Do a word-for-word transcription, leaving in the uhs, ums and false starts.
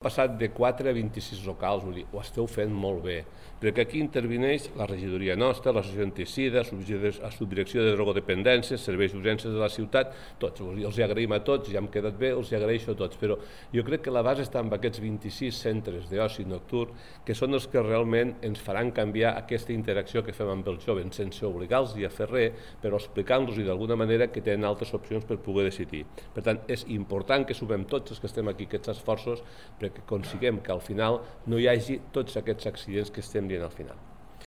Passat de quatre a vint-i-sis locals, vull dir, ho esteu fent molt bé, perquè aquí intervineix la regidoria nostra, l'associació antisida, la subdirecció de drogodependències, serveis d'urgències de la ciutat, tots, els hi agraïm a tots, ja hem quedat bé, els hi agraeixo a tots, però jo crec que la base està en aquests vint-i-sis centres d'oci nocturn, que són els que realment ens faran canviar aquesta interacció que fem amb els joves, sense obligar-los a fer res, però explicant-los d'alguna manera que tenen altres opcions per poder decidir. Per tant, és important que sumem tots els que estem aquí aquests esforços, que consiguem que al final no hi hagi tots aquests accidents que estem dient al final.